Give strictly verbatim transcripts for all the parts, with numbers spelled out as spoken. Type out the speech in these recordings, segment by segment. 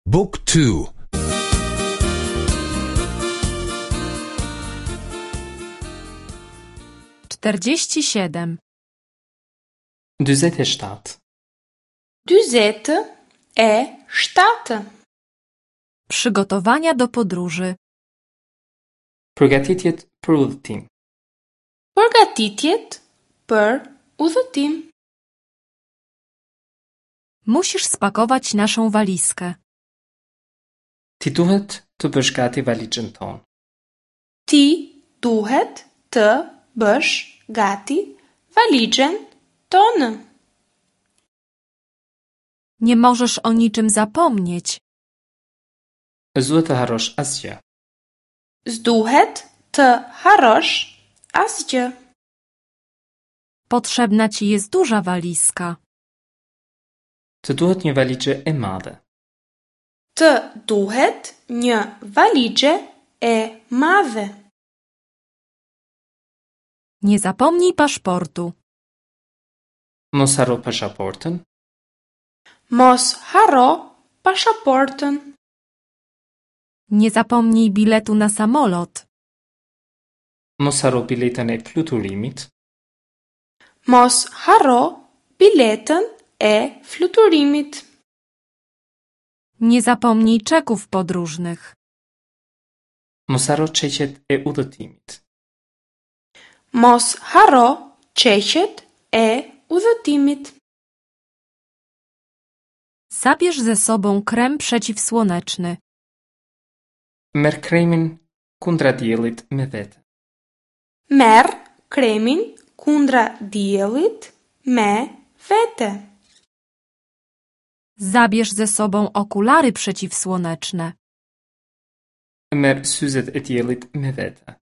Book two. Czterdzieści siedem. Dyzet e shtatë. Dyzet e shtatë. Przygotowania do podróży. Përgatitjet për udhëtim. Përgatitjet për udhëtim. Musisz spakować naszą walizkę. Ti duhet të bësh gati valixhen tonë. Ti duhet të bësh gati valixhen tonë. Nie możesz o niczym zapomnieć. S'duhet të harrosh asgjë. S'duhet të harrosh asgjë. Potrzebna ci jest duża walizka. Të duhet një valixhe e madhe. Të duhet një valixhe e madhe. Nie zapomnij paszportu. Mos harro pasaportën. Mos harro pasaportën. Nie zapomnij biletu na samolot. Mos harro biletën e fluturimit. Mos harro biletën e fluturimit. Nie zapomnij czeków podróżnych. Mos harro çeqet e udhëtimit. Mos harro çeqet e udhëtimit. Zabierz ze sobą krem przeciwsłoneczny. Merr kremin kundra diellit me vete. Merr kremin kundra diellit me vete. Zabierz ze sobą okulary przeciwsłoneczne. Merr syzet e diellit me vete.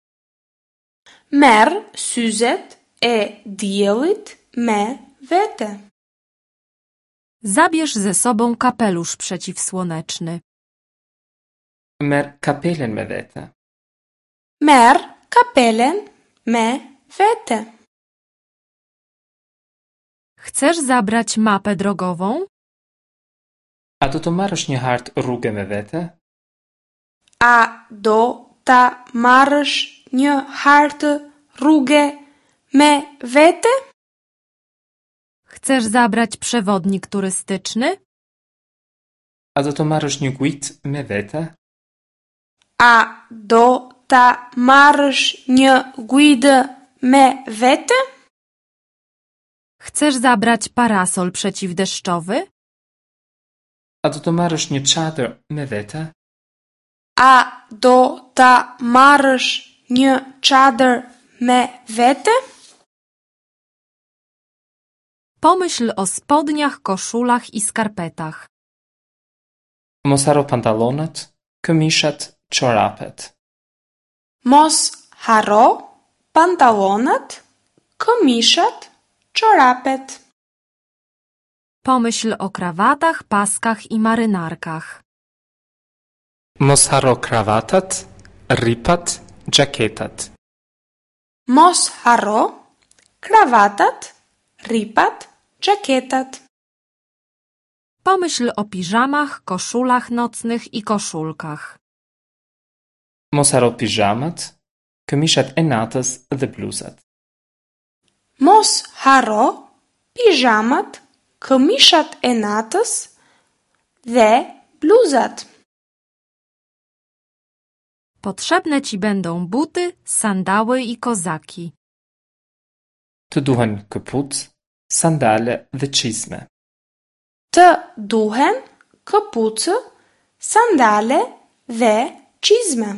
Merr syzet e diellit me vete. Zabierz ze sobą kapelusz przeciwsłoneczny. Merr kapelen me vete. Merr kapelen me vete. Chcesz zabrać mapę drogową? A do të marrësh një hartë rruge me vete? A do ta marrësh një hartë rruge me vete? Chcesz zabrać przewodnik turystyczny? A do të marrësh një guidë me vete? A do ta marrësh një guidë me vete? Chcesz zabrać parasol przeciwdeszczowy? A do të marrësh një çadër me vete? A do ta marrësh një çadër me vete? Pomyśl o spodniach, koszulach i skarpetach. Mos harro pantallonat, këmishat, çorapet. Mos harro pantallonat, këmishat, çorapet. Pomyśl o krawatach, paskach i marynarkach. Mos harro kravatat, rripat, xhaketat. Mos harro kravatat, rripat, xhaketat. Pomyśl o piżamach, koszulach nocnych i koszulkach. Mos harro pijamat, këmishat e natës dhe bluzat. Mos harro pijamat, këmishat e natës dhe bluzat. Potrzebne ci będą buty, sandały i kozaki. Të duhen këpucë, sandale dhe çizme. Të duhen këpucë, sandale dhe çizme.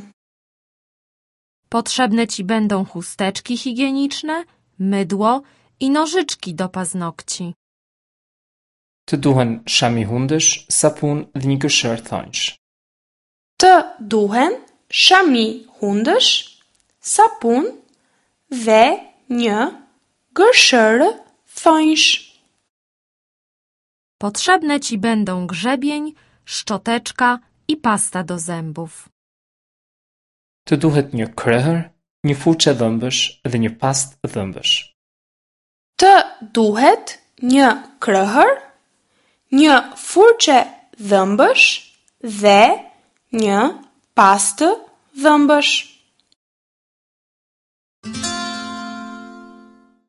Potrzebne ci będą chusteczki higieniczne, mydło i nożyczki do paznokci. Të duhen shami hundësh, sapun dhe një gërshërë thonjsh. Të duhen shami hundësh, sapun dhe një gërshërë thonjsh. Potrzebne ci będą grzebień, szczoteczka i pasta do zębów. Të duhet një krehër, një furçë dhëmbësh dhe një pastë dhëmbësh. Të duhet një krehër, një furçe dhëmbësh dhe një pastë dhëmbësh.